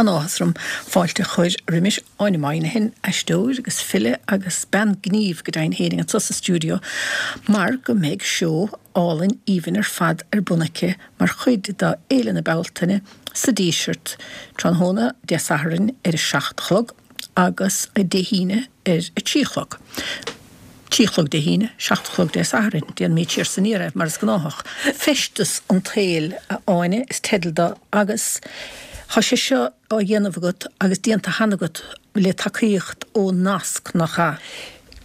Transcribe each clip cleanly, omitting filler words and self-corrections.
An-áthas orm fáilte a chur roimis Áine Moynihan, aisteoir agus file agus bean gnímh go deimhin féinig anso sa stiúideo mar go mbeidh seó álainn aoibhinn ar fad ar bun aici mar chuid de Fhéile na Bealtaine sa Díseart tráthnóna Dé Sathairn ar a 7 a chlog agus Dé hAoine ar a 3 a chlog. 3 a chlog Dé hAoine, 7 a chlog Dé Sathairn. Déanaimid siar is aniar é, mar is gnáthach. Feisteas an tSaoil, a Áine, is teideal do agus tá sé seo á dhéanamh agat agus déanta cheana agat le tacaíocht ó Nasc, nach ea?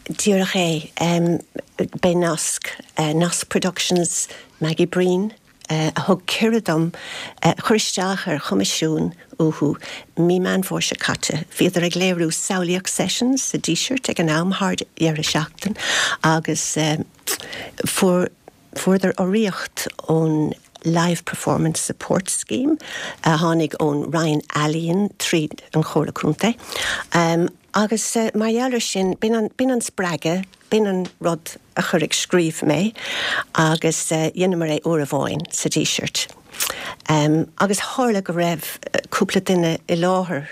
Díreach é. B'é Nasc, Nasc Productions, Maggie Breen, a thug cuireadh dom cur isteach ar choimisiún uathu mí Meán Fómhair seo caite. Bhíodar ag léiriú Samhlaíocht Sessions sa Díseart ag an am, thar dheireadh seachtain, agus fuair fuaireadar urraíocht ón Live Performance Support Scheme a tháinig ón Roinn Ealaíon tríd an Chomhairle Contae. Agus mar gheall ar sin, b'in an, b'in an spreagadh, b'in an rud a chuir ag scríobh mé agus dheineamar é uair amháin sa Díseart. Agus tharla go raibh cúpla duine i láthair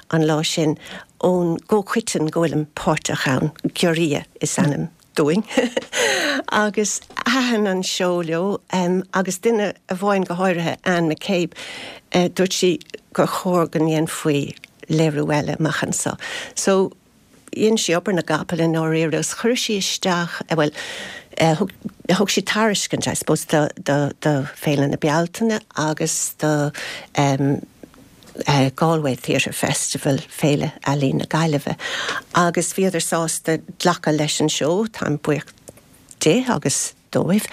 an lá sin ón gcomhchoiteann go bhfuilim páirteach ann, Giorria is ainm dúinn, agus thaitin an seó leo agus duine amháin go háirithe, Anne McCabe, dúirt sí gur chóir go ndéanfaí léiriú eile amach anso. So, dhein sí obair na gcapall i ndáiríre agus chuir sí isteach, bhuel, thug, thug sí tairiscint, I suppose, do, do, do Féile na Bealtaine agus do Galway Theatre Festival, Féile Ealaíon na Gaillimhe, agus bhíodar sásta glacadh leis an seó, táim buíoch di agus dóibh.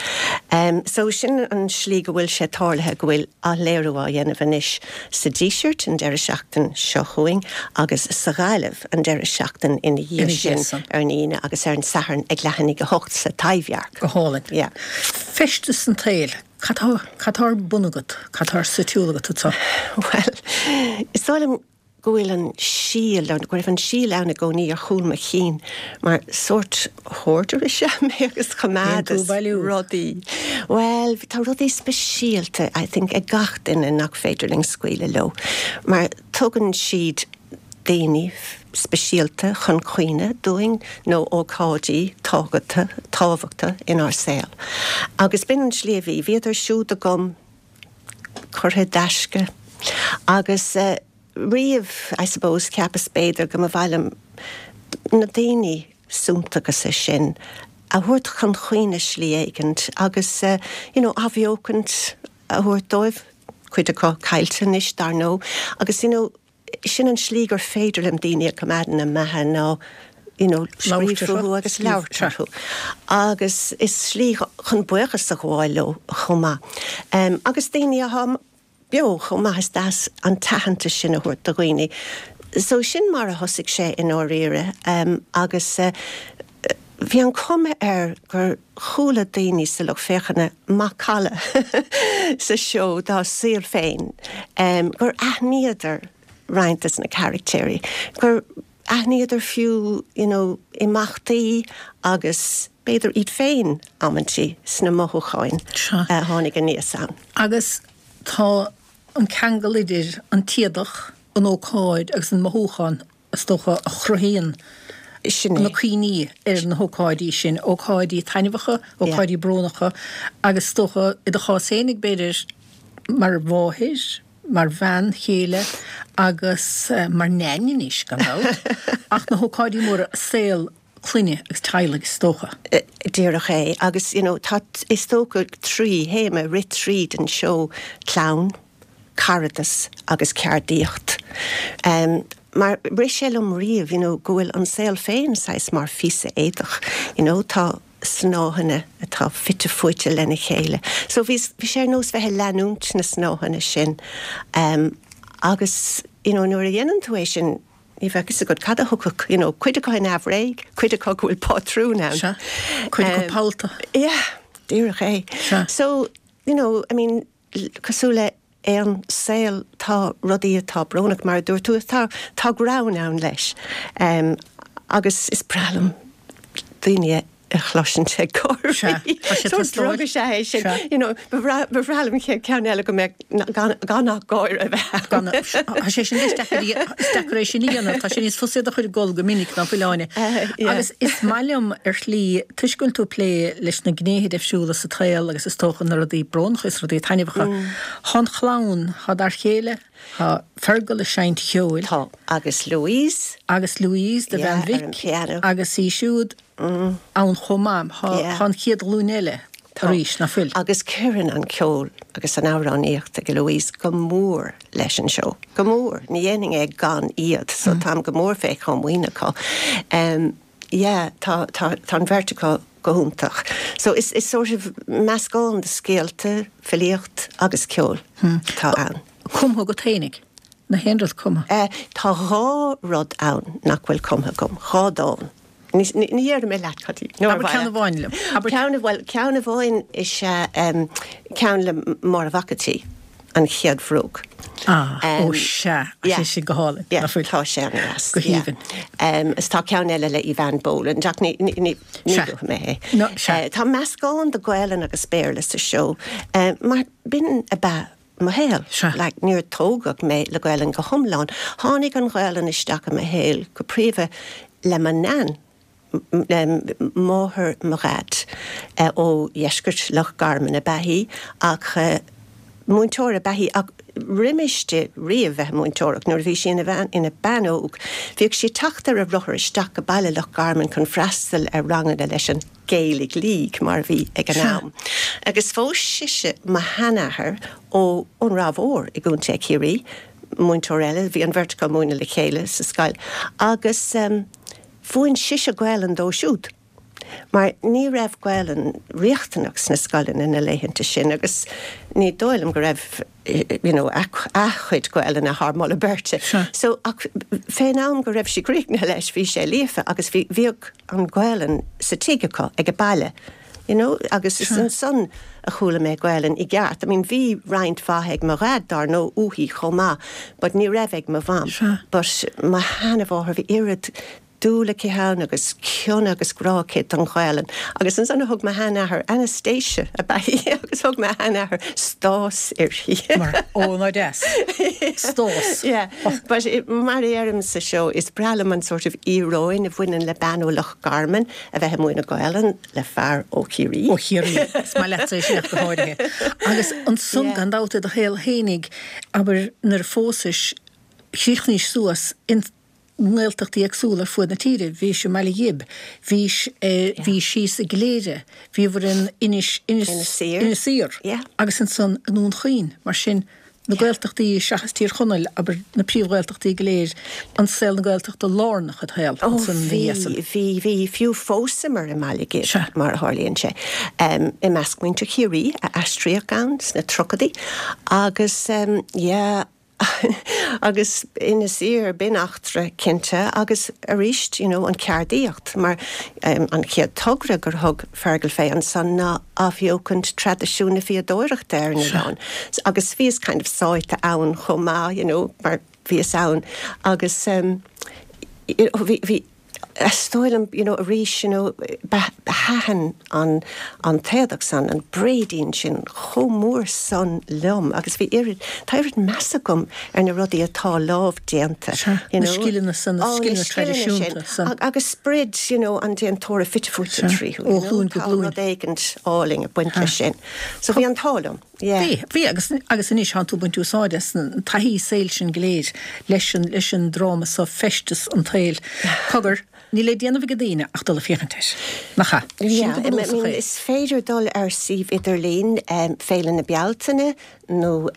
So sin an slí go bhfuil sé tarlaithe go bhfuil athléiriú á dhéanamh anois sa Díseart an deireadh seachtain seo chugainn agus sa Ghaillimh an deireadh seachtain ina dhiaidh sin ar an Aoine agus ar an Satharn ag leath i ndiaidh a hocht sa Taibhdhearc. Go hálainn. Yeah. Feisteas an tSaoil. Cad tá, cad tá ar bun agat? Cad tá sa tsiúl agat anseo? Bhuel, is dóigh liom go bhfuil an síol, nó go raibh an síol ann i gcónaí ar chúl mo chinn, mar sórt hoarder is ea mé agus choimeádas rudaí. Bhuel, tá rudaí speisialta, I think, ag gach duine nach féidir linn scaoileadh leo, mar tugann siad daoine speisialta chun cuimhne dúinn nó ócáidí tábhachta inár saol. Agus b'in an tslí a bhí. Bhíodar siúd agam curtha i dtaisce agus riamh, I suppose, cheapas b'fhéidir go mba mhaith liom na daoine suntasacha sin a thabhairt chun cuimhne slí éigint agus you know athbheochaint a thabhairt dóibh, cuid acu caillte anois dar ndóigh, agus you know sin an slí gur féidir liom daoine a choimeád ina mbeatha ná you know scríobh fúthu agus labhairt orthu. Agus is slí chun buíochas a ghabháil leo chomh maith. Agus daoine atá beo chomh maith, is deas an t-aitheantas sin a thabhairt do dhaoine. So sin mar a thosaigh sé i ndáiríre agus bhí an chuma air gur chuala daoine sa lucht féachana macalla sa seó dá saol féin, gur aithníodar roinnt des na caractéirí, gur aithníodar fiú you know imeachtaí agus b'fhéidir iad féin amantaí sna mothúcháin a tháinig aníos ann. Agus tá an ceangal idir an t-éadach, an ócáid agus an mothúchán is dócha, a chruthaíonn na cuimhní ar na hócáidí sin, ócáidí taitneamhacha, ócáidí brónacha agus is dócha, i do chás féinig, b'fhéidir, mar mháthair, mar bhean chéile agus mar Neain anois, gan dabht, ach na hócáidí móra, saol clainne agus teaghlaigh, is dócha. Díreach é. Agus, you know, tá, is dócha, 3 théama ag rith tríd an seó, clann, caradas agus ceardaíocht. Mar rith sé liom riamh, you know, go bhfuil an saol féin saghas mar phíosa éadach, you know, tá snáitheanna atá fite fuaite lena chéile. So bhí, bhí sé ar nós bheith ag leanúint na snáitheanna sin. Agus, you know, nuair a dhéanann tú é sin, ní bheadh fhios agat cad a thiocfadh, you know, cuid acu neamhréidh, cuid acu go bhfuil pátrún ann. Sea, cuid acu pollta. Yeah, díreach é. Sea. So, you know, I mean, Cosúil le haon saol tá rudaí atá brónach, mar a dúirt tú, tá tá greann ann leis. Agus is breá liom daoine a. a chloisint ag gáirí. Sea, tá sé Sórt drug is ea é sin. Sea. You know, ba bhreá, ba bhreá liom an chéad ceann eile go mbeadh gan, gan ach gáire a bheith ann. Gan, tá sé sin is deacair, is deacair é sin a dhéanamh. Tá sé níos fusa iad a chur ag gol go minic ná fuil, Áine. Yeah. Agus is maith liom ar shlí, toisc go bhfuil tú ag plé leis na gnéithe deifriúla sa tsaol agus is dócha na rudaí brónacha is rudaí taitneamhacha. Tá an chlann, tá d'fhear chéile, tá Fergal ag seinnt cheoil. Tá, agus Louise. Agus Louise, do Yeah, bhean ar an mhic, piano. agus í siúd. ann chomh maith. Tá an chéad ghlúin eile arís, ná fuil? Agus cuireann an ceol agus an amhránaíocht ag Louise go mór leis an seó. Go mór. Ní dhéanfainn é gan iad, so táim go mór fé chomaoin acu. Yeah, tá, tá, tá an bheirt acu go hiontach. So is, is sort of meascán de scéalta, filíocht agus ceol atá ann. Cumtha agat fhéinig? Nach aon rud cumtha? Tá dhá rud ann nach bhfuil cumtha agam, dhá dán. Ní dhéarfaidh mé leat cad iad. Abair ceann amháin liom. Abair. Ceann, bhuel, ceann amháin is ea ceann le Máire Mhac an tSaoi, An Chéad Bhróg. Ah, ó sea, tá sé sin go hálainn, ná fuil? Tá sé an-deas. Go haoibhinn. Is tá ceann eile le Eavan Boland, ach ní, ní, ní luafaidh mé é. No, sea. Tá meascán de Ghaelainn agus Béarla sa seó, mar b'in ab ea mo shaol. Sea. Like, níor tógadh mé le Gaelainn go hiomlán. Tháinig an Ghaelainn isteach i mo shaol go príomha le mo Nan, máthair mo Dhaid. Ó dheisceart Loch Garman ab ea í ach múinteoir ab ea í ach roimis di riamh bheith ag múinteoireacht, nuair a bhí sí ina bhean, ina bean óg, bhíodh sí ag teacht ar a rothar isteach go baile Loch Garman chun freastal ar ranganna leis an. Gaelic League mar a bhí ag an am. Agus phós sise mo sheanathair ó ón Ráth Mhór i gContae Chiarraí, múinteoir eile, bhí an bheirt acu ag múineadh le chéile sa scoil, agus mhúin sise Gaelainn dó siúd mar ní raibh Gaelainn riachtanach sna scoileanna na laethanta sin agus ní dóigh liom go raibh you know a chuid Gaelainne thar moladh beirte. So ach fén am go raibh sí críochnaithe leis bhí sé líofa agus bhí, bhíodh an Ghaelainn sa tigh acu ag a baile, you know, agus is ansan a chuala mé Gaelainn i gceart. I mean bhí roinnt mhaith ag mo dhaid dár ndóigh uaithi chomh maith but ní raibh ag mo mham. But mo sheanamháthair bhí oiread dúil aici ann agus cion agus grá aici don Ghaelainn. Agus ansan a thug mo sheanathair, Anastasia ab ea í, agus thug mo sheanathair Stás uirthi. Mar, ó ná deas. Stás. Yeah. But mar a deirim sa seó, is breá liom an sort of íoróin a bhaineann le bean ó Loch Garman a bheith ag múineadh Gaelainn le fear ó Chiarraí. Ó Chiarraí. Is maith leatsa é sin ach go háirithe. Agus ansan, gan dabht, i do shaol fhéinig, abair, nuair a phósais, chríochnaís suas in nGaeltachtaí éagsúla ar fuaid na tíre. Bhís i mBaile Ghib, bhís, bhís síos i gCléire, bhíobhair in Inis, Inis, Inis Oírr agus ansan i nDún Chaoin. Mar sin, na Gaeltachtaí seachas Tír Chonaill, abair, na príomh-Ghaeltachtaí go léir, an saol na Gaeltachta lárnach id shaol Ó ansan ina dhiaidh san. bhí, bhí, bhí, fiú phósamar i mBaile Ghib, mar a tharlaíonn sé, i measc muintir Chiarraí a aistríodh ann sna tríochaidí agus yeah, Agus Inis Oírr, b'in eachtra cinnte agus arís you know an cheardaíocht mar an chéad togra gur thug Fergal fé ansan ná athbheochaint traidisiún na fíodóireachta ar an oileán agus bhíos kind of sáite ann chomh maith you know mar bhíos ann agus you know bhí bhí Is dóigh liom, you know, arís, you know, thaitin an, an t-éadach san, an bréidín sin chomh mór san liom agus bhí oiread, tá oiread meas agam ar na rudaí atá lámhdéanta, you know. Na scileanna san, na scileanna traidisiúnta san. Agus sprid, you know, an déantóra fite fuaite tríothu, you know. Ó ghlúin go glúin. Tá rud éigint álainn ag baint leis sin. So bhí an t-ádh liom. Yeah. Bhí, bhí agus, agus anois tánn tú ag baint úsáid as an taithí saoil sin go léir leis an, leis an dráma so, Feisteas an tSaoil. Cogar, níl le déanamh ag daoine ach dul ag féachaint air. Nach ea? Sin Yeah, go I bunúsach mean, é. is féidir dul ar suíomh idirlín Féile na Bealtaine nó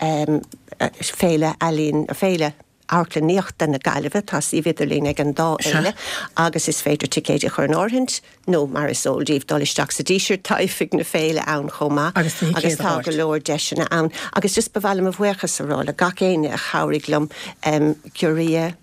Féile Ealaíon, Féile Amharclannaíochta na Gaillimhe, tá suíomh idirlín ag an dá fhéile agus is féidir ticéid a chur in áirithint nó, mar is eol daoibh, dul isteach sa Díseart, tá oifig na féile ann chomh maith agus tá go leor deiseanna ann. Agus just ba mhaith liom mo bhuíochas a rá le gach éinne a chabhraigh liom, Giorria,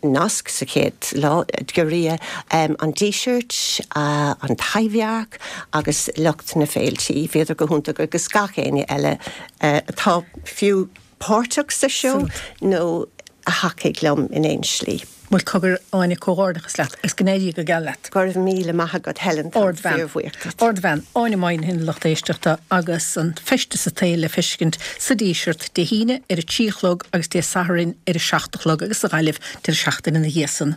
Nasc sa chéad lá, Giorria, an Díseart, an Taibhdhearc agus lucht na féiltí, bhíodar go hiontach agus gach éinne eile atá fiú páirteach sa seó nó a thacaigh liom in aon slí. Bhuel, cogar, Áine, comhghairdeachas leat agus go n-éirí go geal leat. Go raibh míle maith agat, Helen, táim fíorbhuíoch duit. Ardbhean, Áine Moynihan, lucht éisteachta, agus an feisteas an tsaoil le feiscint sa Díseart Dé hAoine ar a 3 a chlog agus Dé Sathairn ar a 7 a chlog agus sa Ghaillimh deireadh seachtaine ina dhiaidh san.